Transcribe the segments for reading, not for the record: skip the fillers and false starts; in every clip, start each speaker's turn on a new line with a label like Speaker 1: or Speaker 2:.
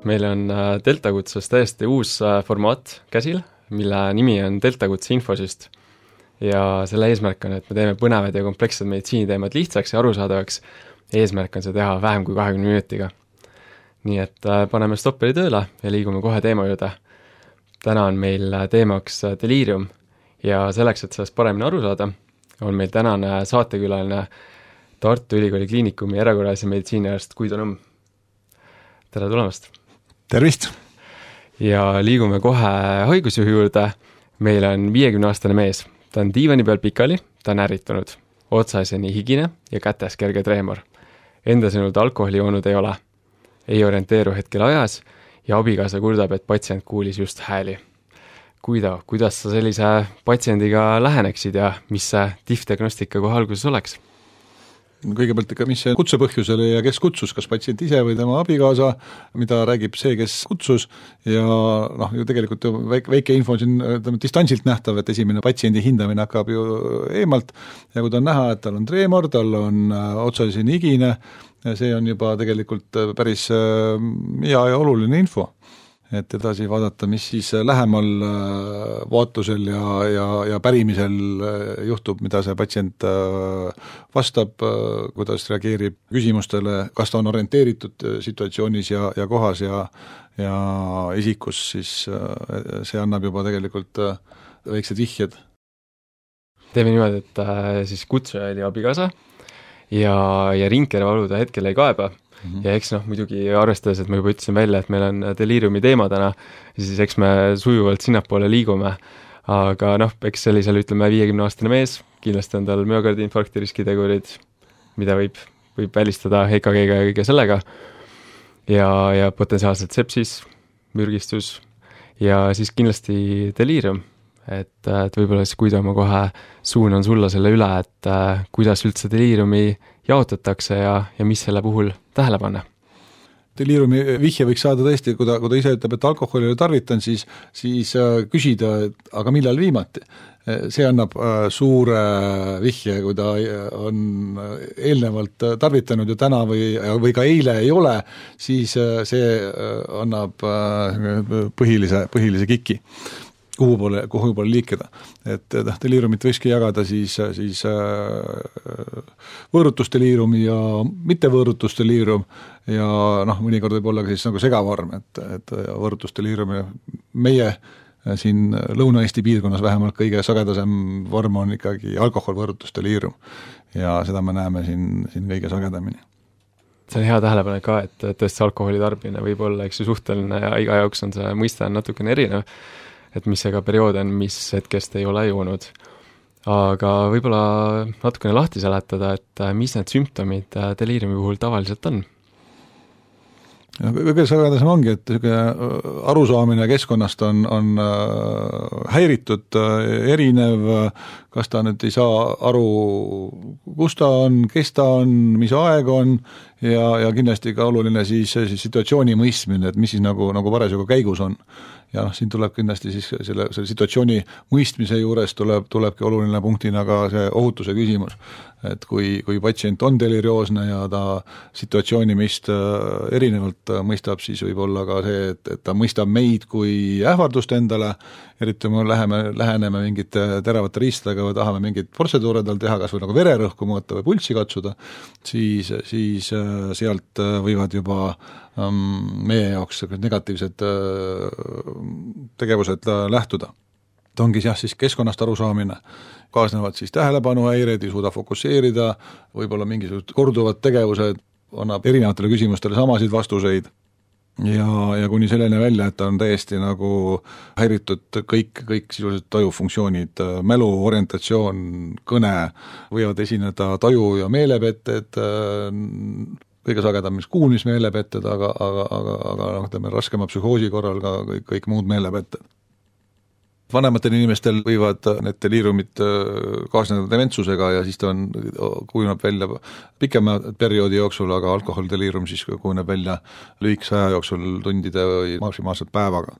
Speaker 1: meil on Deltakutses täiesti uus formaat käsil, mille nimi on Deltakutse infosüst. Ja selle eesmärk on, et me teeme põnevad ja komplekssed meditsiiniteemad lihtsaks ja arusaadavaks. Eesmärk on see teha vähem kui 20 minutiga. Nii et paneme stopperi tööle ja liigume kohe teema juurde. Täna on meil teemaks deliirium ja selleks, et sellest paremini aru saada, on meil tänane saatekülaline Tartu Ülikooli Kliinikumi erakorralise meditsiiniarst Guido Nõmm. Tere tulemast!
Speaker 2: Tervist!
Speaker 1: Ja liigume kohe haigusjuhi juurde. Meil on 50-aastane mees. Ta on diivani peal pikali, ta on ärritunud. Otsaseni higine ja kätes kerge treemor. Enda sõnul ta alkoholi joonud ei ole. Ei orienteeru hetkel ajas ja abikaasa kurdab, et patsient kuulis just hääli. Guido, kuidas sa sellise patsiendiga läheneksid ja mis see diagnostika kohe alguses oleks?
Speaker 2: Kõigepealt ikka, mis see kutsepõhjus oli ja kes kutsus, kas patsient ise või tema abikaasa, mida räägib see, kes kutsus ja ju tegelikult väike info on siin distantsilt nähtav, et esimene patsiendi hindamine hakkab ju eemalt ja kui ta on näha, et tal on treemor, tal on otsaseni higine, see on juba tegelikult päris hea ja oluline info. Et edasi vaadata, mis siis lähemal vaatlusel ja pärimisel juhtub, mida see patsient vastab, kuidas reageerib küsimustele, kas ta on orienteeritud situatsioonis ja kohas ja isikus, siis see annab juba tegelikult väiksed vihjed.
Speaker 1: Teeme niimoodi, et siis kutsuja oli abikaasa ja ringkervalu ta hetkel ei kaeba. Ja eks muidugi arvestades, et ma juba ütlesin välja, et meil on deliiriumi teema täna, siis eks me sujuvalt sinnapoole liigume. Aga eks sellisel 50-aastane mees, kindlasti on tal müokardiinfarkti riskitegurid, mida võib välistada EKG-ga ja kõige sellega. Ja potentsiaalselt sepsis, mürgistus ja siis kindlasti deliirium. Et võib-olla siis Guido ma kohe suunan sulla selle üle, et kuidas üldse deliiriumi jaotatakse ja mis selle puhul tähele panna.
Speaker 2: Deliiriumi vihje võiks saada tõesti, kui ta ise ütleb, et alkoholi tarvitan, siis küsida, aga millal viimati. See annab suure vihje, kui ta on eelnevalt tarvitanud ja täna või ka eile ei ole, siis see annab põhilise kiki. Kuhu poole liikida. Et deliirumit võikski jagada siis võõrutusdeliirium ja mittevõõrutusdeliirium ja mõnikord võib olla ka siis nagu segavorm, et võõrutusdeliirium ja meie siin Lõuna-Eesti piirkonnas vähemalt kõige sagedasem vorm on ikkagi alkoholvõõrutusdeliirium ja seda me näeme siin kõige sagedamini.
Speaker 1: See on hea tähelepanek ka, et tõesti alkoholi tarbimine võib olla suhteline ja iga jaoks on see mõiste natukene erinev. Et mis see ka periood on, mis hetkest ei ole joonud. Aga võib-olla natukene lahti seletada, et mis need sümptomid deliiriumi puhul tavaliselt on?
Speaker 2: Kõige sagedasem ongi, et arusaamine keskkonnast on häiritud, erinev, kas ta nüüd ei saa aru, kus ta on, kes ta on, mis aeg on ja kindlasti ka oluline siis situatsiooni mõistmine, et mis siis nagu parasjagu käigus on. Ja siin tuleb kindlasti siis selle situatsiooni mõistmise juures tulebki oluline punktina ka see ohutuse küsimus. Et kui patsient on delirioosne ja ta situatsiooni meist erinevalt mõistab, siis võib olla ka see, et ta mõistab meid kui ähvardust endale, eriti kui läheneme mingite teravate riistadega või tahame mingit protseduure tal teha, kas või nagu vererõhku mõõta või pulssi katsuda, siis sealt võivad juba meie jaoks negatiivsed tegevused lähtuda. Ta ongi siis keskkonnast arusaamine, kaasnevad siis tähelepanuhäired, ei suuda fokusseerida, võib-olla mingisugused korduvad tegevused, annab erinevatele küsimustele samasid vastuseid ja kuni selleni välja, et ta on täiesti nagu häiritud kõik sisuliselt tajufunktsioonid, mälu, orientatsioon, kõne, võivad esineda taju- ja meelepetted, kõige sagedam mis kuulmismeelepetted, aga raskema psühhoosi korral ka kõik muud meelepetted. Vanematel inimestel võivad need deliiriumid kaasneda dementsusega ja siis ta kujuneb välja pikema perioodi jooksul, aga alkoholdeliirium siis kujuneb välja lühikese aja jooksul tundide või maksimaalselt päevaga.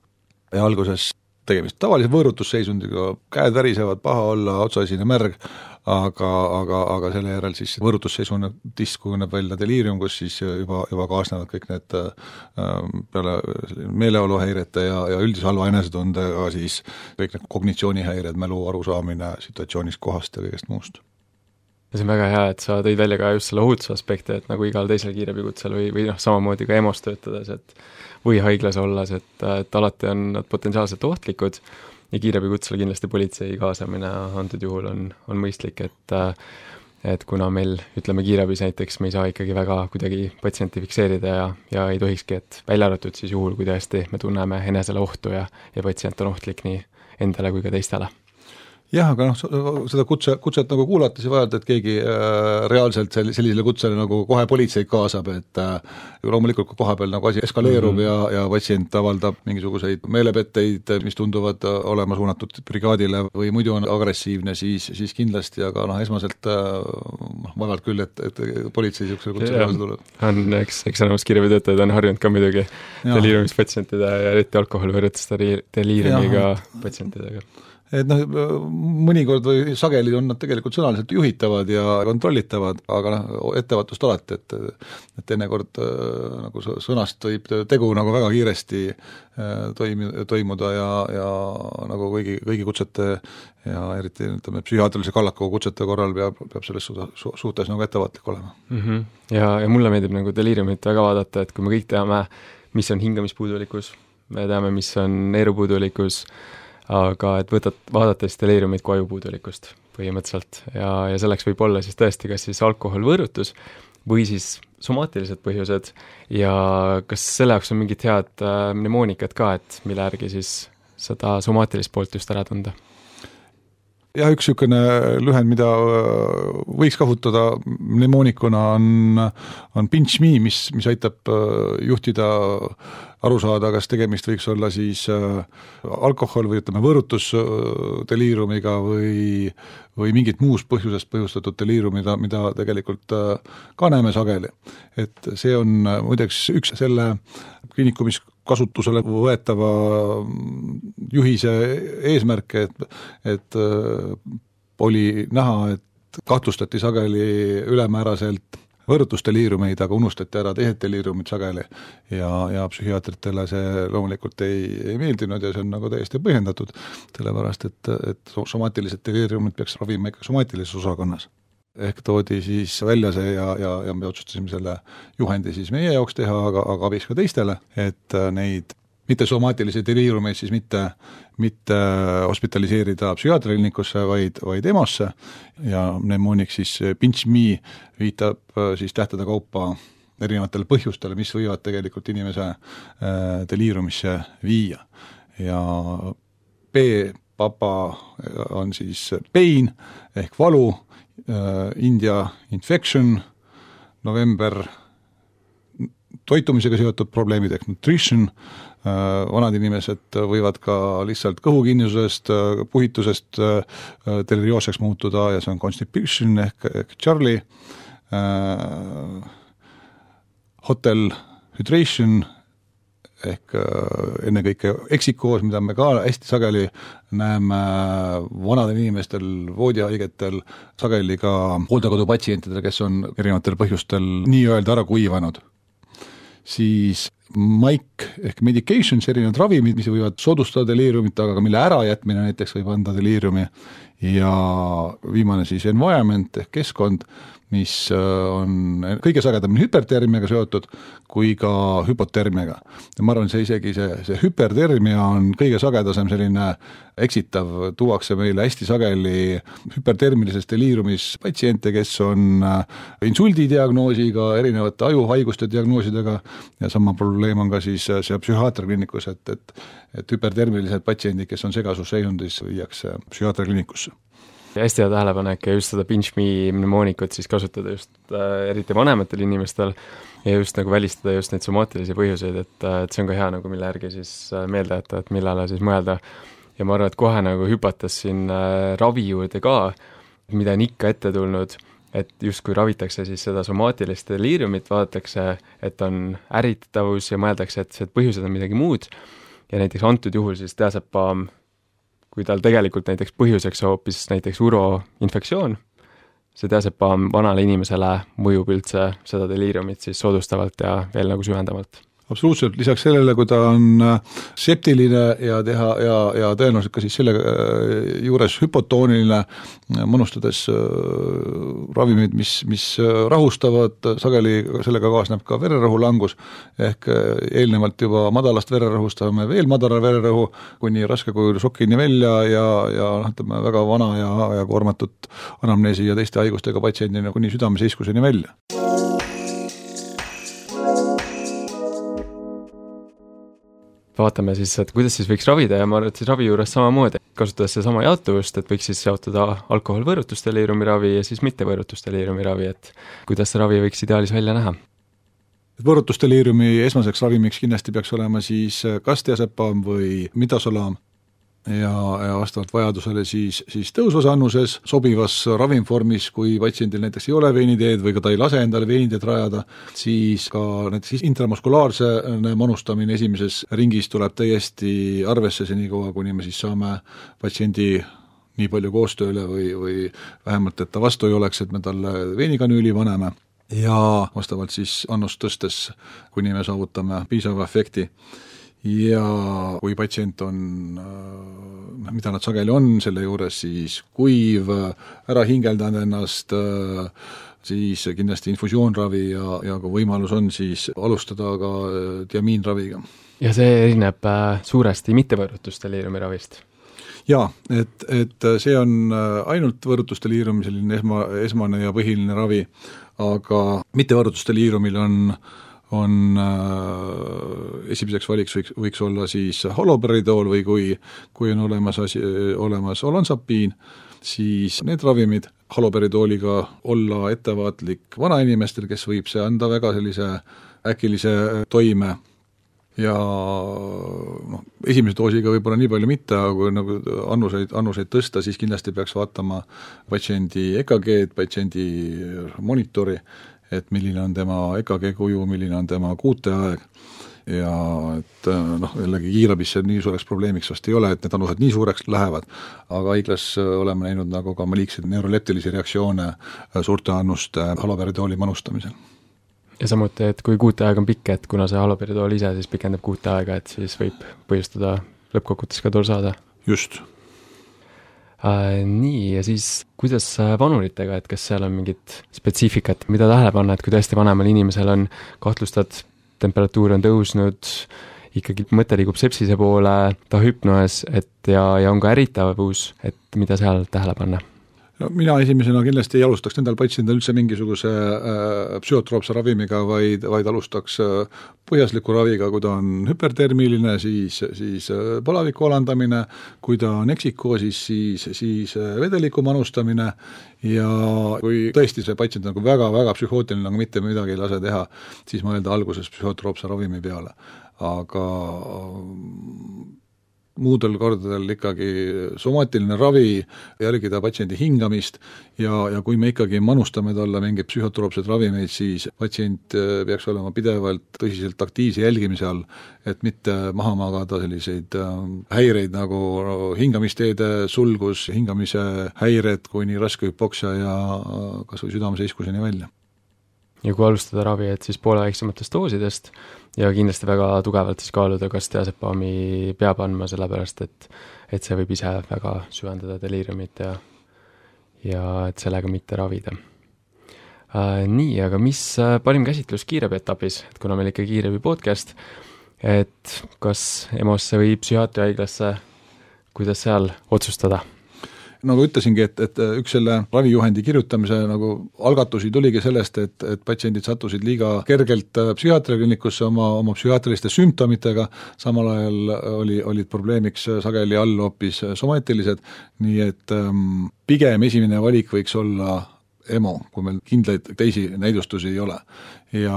Speaker 2: Ja alguses tegemist tavalise võõrutusseisundiga, käed värisevad, paha olla, otsaesine märg, aga selle järel siis võõrutusseisundis kujuneb välja deliirium, kus siis juba kaasnevad kõik need peale meeleoluhäirete ja üldise halva enesetundega siis kõik need kognitsioonihäired, mälu arusaamine situatsioonist, kohast ja kõigest muust.
Speaker 1: Ja see on väga hea, et sa tõid välja ka just selle ohutuse aspekti, et nagu igal teisel kiirabikutsel või samamoodi ka EMO-s töötades, et või haiglas olles, et alati on nad potentsiaalselt ohtlikud ja kiirabikutsel kindlasti politsei kaasamine antud juhul on mõistlik, et kuna meil, ütleme kiirabis näiteks, me ei saa ikkagi väga kuidagi patsienti fikseerida ja ei tohikski, et välja arvatud siis juhul, kui tõesti me tunneme enesele ohtu ja patsient on ohtlik nii endale kui ka teistele.
Speaker 2: Jah, aga seda kutset nagu kuulates ja vajalt, et keegi reaalselt sellisele kutsele nagu kohe politseid kaasab, et loomulikult kui koha peal nagu asi eskaleerub ja patsient avaldab mingisuguseid meelepetteid, mis tunduvad olema suunatud brigaadile või muidu on agressiivne, siis kindlasti, aga esmaselt vajalt küll, et politsei niisugusele kutsele kaasa tuleb.
Speaker 1: Eks enamus kiirabitöötajad on harjunud ka muidugi deliiriumispatsientide ja eriti alkohol võrrutust deliiriumiga patsientidega.
Speaker 2: Et mõnikord või sageli on nad tegelikult sõnaliselt juhitavad ja kontrollitavad, aga ettevaatust alati, et teinekord nagu sõnast võib tegu nagu väga kiiresti toimuda ja nagu kõigi kutsete ja eriti ütleme, psühhiaatrilise kallaku kutsete korral peab selles suhtes nagu ettevaatlik olema.
Speaker 1: Ja mulle meeldib nagu deliiriumit väga vaadata, et kui me kõik teame, mis on hingamispuudulikkus, me teame, mis on neerupuudulikkus, aga et vaadates deliiriumit kui ajupuudulikkust põhimõtteliselt ja selleks võib olla siis tõesti kas siis alkoholvõõrutus või siis somaatilised põhjused ja kas selle jaoks on mingit head mnemoonikat ka, et mille järgi siis seda somaatilist poolt just ära tunda?
Speaker 2: Jah, üks niisugune lühend, mida võiks kasutada mnemoonikuna on pinch me, mis aitab juhtida aru saada, kas tegemist võiks olla siis alkohol või ütleme võõrutusdeliirumiga või mingit muust põhjusest põhjustatud deliirumi, mida tegelikult ka näeme sageli. Et see on muideks üks selle kliinikumis kasutusele võetava juhise eesmärke, et oli näha, et kahtlustati sageli ülemääraselt võõrutusdeliirumeid, aga unustati ära teised deliirumid sageli ja psühhiaatritele see loomulikult ei meeldinud ja see on nagu täiesti põhjendatud, sellepärast et somaatilised deliirumid peaks ravima ikka somaatilises osakonnas. Ehk toodi siis välja see ja me otsustasime selle juhendi siis meie jaoks teha, aga abiks ka teistele, et neid mitte somaatilisi deliirumeid siis mitte hospitaliseerida psühhiaatriakliinikusse, vaid EMO-sse ja mnemoonik siis pinch me viitab siis tähtede kaupa erinevatele põhjustele, mis võivad tegelikult inimese deliirumisse viia. Ja P-papa on siis pain ehk valu, India infection, november toitumisega seotud probleemid ehk nutrition, vanad inimesed võivad ka lihtsalt kõhukinnisusest, puhitusest delirioosseks muutuda ja see on constipation ehk Charlie, hotel hydration ehk ennekõike eksikoos, mida me ka hästi sageli näeme vanadel inimestel, voodihaigetel, sageli ka hooldekodupatsientidel, kes on erinevatel põhjustel nii-öelda ära kuivanud. Siis MIC ehk medications, erinevad ravimid, mis võivad soodustada deliiriumit, aga mille ärajätmine näiteks võib anda deliiriumi ja viimane siis environment ehk keskkond, mis on kõige sagedamini hüpertermiaga seotud kui ka hüpotermiaga. Ja ma arvan, isegi see hüpertermia on kõige sagedasem selline eksitav, tuuakse meile hästi sageli hüpertermilises deliirumis patsiente, kes on insuldidiagnoosiga, erinevate ajuhaiguste diagnoosidega ja sama probleem on ka siis see psühhiaatriakliinikus, et hüpertermilised patsiendid, kes on segasusseisundis, viiakse psühhiaatriakliinikusse.
Speaker 1: Ja hästi hea tähelepanek ja just seda pinch me mnemoonikut siis kasutada just eriti vanematel inimestel ja just nagu välistada just neid somaatilisi põhjuseid, et see on ka hea nagu mille järgi siis meelde jätta, et millele siis mõelda. Ja ma arvan, et kohe nagu hüpates siin ravi juurde ka, mida on ikka ette tulnud, et just kui ravitakse siis seda somaatilist deliiriumit, vaadatakse, et on ärritavus ja mõeldakse, et põhjused on midagi muud ja näiteks antud juhul siis diazepam kui tal tegelikult näiteks põhjuseks hoopis näiteks uroinfektsioon, see diasepaam vanale inimesele mõjub üldse seda deliiriumit siis soodustavalt ja veel nagu süvendavalt.
Speaker 2: Absoluutselt, lisaks sellele, kui ta on septiline ja tõenäoliselt ka siis selle juures hüpotooniline, manustades ravimid, mis rahustavad, sageli sellega kaasneb ka vererõhulangus, ehk eelnevalt juba madalast vererõhust saame veel madala vererõhu, kuni raske kujul šokini välja ja väga vana ja koormatud anamneesi ja teiste haigustega patsiendina kuni südameseiskuseni välja.
Speaker 1: Vaatame siis, et kuidas siis võiks ravida ja ma arvan, et siis ravi juures samamoodi, kasutades see sama jaotuvust, et võiks siis jaotada alkoholvõõrutusdeliiriumi ravi ja siis mittevõõrutusdeliiriumi ravi, et kuidas see ravi võiks ideaalis välja näha? Võõrutusdeliiriumi
Speaker 2: esmaseks ravimiks kindlasti peaks olema siis kas diasepaam või midosolaam ja vastavalt vajadusele siis tõusvas annuses, sobivas ravimvormis, kui patsiendil näiteks ei ole veiniteed või ka ta ei lase endale veiniteed rajada, siis ka näiteks intramuskulaarse manustamine esimeses ringis tuleb täiesti arvesse senikaua, kuni me siis saame patsiendi nii palju koostööle või vähemalt, et ta vastu ei oleks, et me talle veinikanüüli paneme ja vastavalt siis annust tõstes, kuni me saavutame piisava efekti. Ja kui patsient on, mida nad sageli on selle juures, siis kuiv, ära hingeldanud ennast, siis kindlasti infusioonravi ja kui võimalus on, siis alustada ka diamiinraviga. Ja see erineb suuresti mittevõõrutusdeliiriumi ravist? Jaa, et see on ainult võõrutusdeliiriumi selline esmane ja põhiline ravi, aga mittevõõrutusdeliiriumil on esimeseks valiks võiks olla siis holoperidool või kui on olemas olansapiin, siis need ravimid holoperidooliga olla ettevaatlik vanainimestel, kes võib see anda väga sellise äkilise toime ja esimese doosiga võib-olla nii palju mitte, aga kui nagu annuseid tõsta, siis kindlasti peaks vaatama patsiendi EKG-d, patsiendi monitori, et milline on tema EKG kuju, milline on tema kuuteaeg ja et jällegi kiirabisse nii suureks probleemiks vast ei ole, et need annused nii suureks lähevad, aga haiglas oleme näinud nagu ka maliikseid neuroleptilisi reaktsioone suurte annuste haloperidooli manustamisel. Ja samuti, et kui kuuteaeg on pikk, et kuna see haloperidool ise siis pikendab kuuteaega, et siis võib põhjustada lõppkokkuvõttes ka torsaada. Just. Nii, ja siis kuidas vanuritega, et kas seal on mingit spetsiifikat, mida tähele panna, et kui tõesti vanemal inimesel on kahtlustad, temperatuur on tõusnud, ikkagi mõte liigub sepsise poole, ta hüpnoes, et ja on ka ärritavus, et mida seal tähele panna? No, mina esimesena kindlasti ei alustaks nendel patsiendil üldse mingisuguse psühhotroopse ravimiga, vaid alustaks põhjasliku raviga, kui ta on hüpertermiline, siis palaviku alandamine, kui ta on eksikoosis, siis vedeliku manustamine ja kui tõesti see patsient on väga-väga psühhootiline, nagu mitte midagi ei lase teha, siis mõelda alguses psühhotroopse ravimi peale. Aga muudel kordadel ikkagi somaatiline ravi, jälgida patsiendi hingamist ja kui me ikkagi manustame talle mingeid psühhotroopseid ravimeid, siis patsient peaks olema pidevalt tõsiselt aktiivse jälgimise all, et mitte maha magada selliseid häireid nagu hingamisteede sulgus, hingamise häired kuni raske hüpoksia ja kas või südameseiskuseni välja. Ja kui alustada ravi, et siis poole väiksematest doosidest ja kindlasti väga tugevalt siis kaaluda, kas diasepaami peab andma, sellepärast et see võib ise väga süvendada deliiriumit ja et sellega mitte ravida. Nii, aga mis parim käsitlus kiirabi etapis, et kuna meil ikka kiirabi podcast, et kas EMO-sse või psühhiaatriahaiglasse, kuidas seal otsustada? Nagu ütlesingi, et üks selle ravijuhendi kirjutamise nagu algatusi tuligi sellest, et patsiendid sattusid liiga kergelt psühhiaatriaklinikusse oma psühhiaatriliste sümptomitega, samal ajal olid probleemiks sageli all hoopis somaatilised, nii et pigem esimene valik võiks olla EMO, kui meil kindlaid teisi näidustusi ei ole. Ja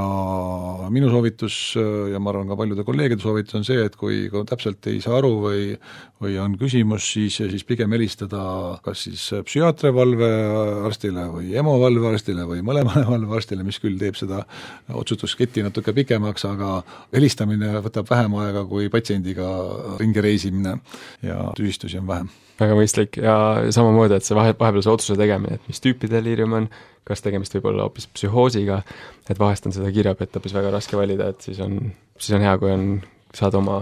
Speaker 2: minu soovitus ja ma arvan ka paljude kolleegide soovitus on see, et kui täpselt ei saa aru või on küsimus, siis pigem helistada kas siis psühhiaatri valvearstile või EMO valvearstile või mõlemale valvearstile, mis küll teeb seda otsustusketti natuke pikemaks, aga helistamine võtab vähem aega kui patsiendiga ringi reisimine ja tüsistusi on vähem.
Speaker 1: Väga mõistlik ja samamoodi, et see vahepeal see otsuse tegemine, et mis tüüpi deliirium on, kas tegemist võib olla hoopis psühhoosiga, et vahest on seda kiirabietapis väga raske valida, et siis on hea, kui saad oma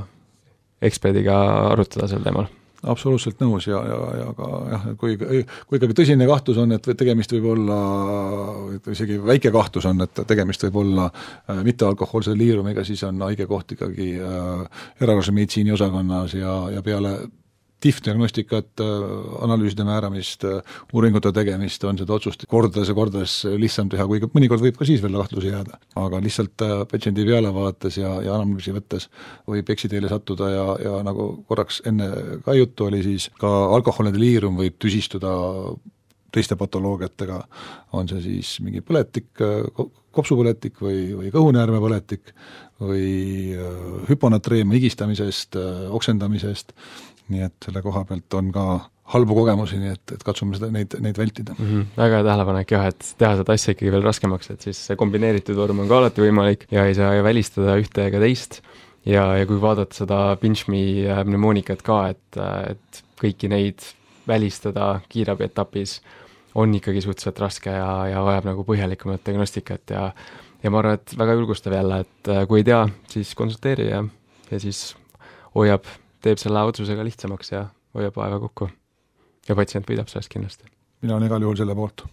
Speaker 1: eksperdiga arutada sel teemal.
Speaker 2: Absoluutselt nõus ja ka jah, kui ikkagi tõsine kahtlus on, et tegemist võib olla, isegi väike kahtlus on, et tegemist võib olla mittealkohoolse deliiriumiga, siis on haige koht ikkagi erakorralise meditsiini osakonnas ja peale diagnostikat, analüüside määramist, uuringute tegemist on seda otsust kordades lihtsam teha, kui mõnikord võib ka siis veel kahtlusi jääda. Aga lihtsalt patsiendi peale vaates ja analüüsi võttes võib eksiteele sattuda ja nagu korraks enne ka juttu oli, siis ka alkoholne deliirium võib tüsistuda teiste patoloogiatega, on see siis mingi põletik, kopsupõletik või kõhunäärmepõletik või hüponatreemia higistamisest, oksendamisest, nii et selle koha pealt on ka halbu kogemusi, nii et katsume neid vältida.
Speaker 1: Väga hea tähelepanek jah, et teha seda asja ikkagi veel raskemaks, et siis see kombineeritud vorm on ka alati võimalik ja ei saa välistada ühte ega teist ja kui vaadata seda pinch-me pneumonikat ka, et kõiki neid välistada kiirabietapis on ikkagi suhteliselt raske ja vajab nagu põhjalikumat diagnostikat ja ma arvan, et väga julgustav jälle, et kui ei tea, siis konsulteeri ja siis teeb selle otsusega lihtsamaks ja hoiab aega kokku. Ja patsient võidab sellest kindlasti.
Speaker 2: Mina olen igal juhul selle poolt.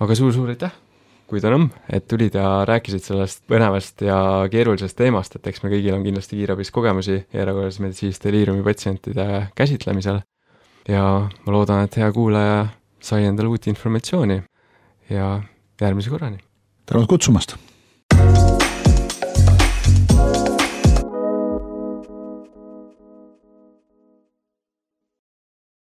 Speaker 1: Aga suur aitäh, Kuidanõmm, et tulid ja rääkisid sellest põnevast ja keerulisest teemast, et eks me kõigil on kindlasti kiirabis kogemusi erakorralise meditsiinilise deliiriumi patsientide käsitlemisel ja ma loodan, et hea kuulaja sai endale uut informatsiooni ja järgmise korrani.
Speaker 2: Tänud kutsumast!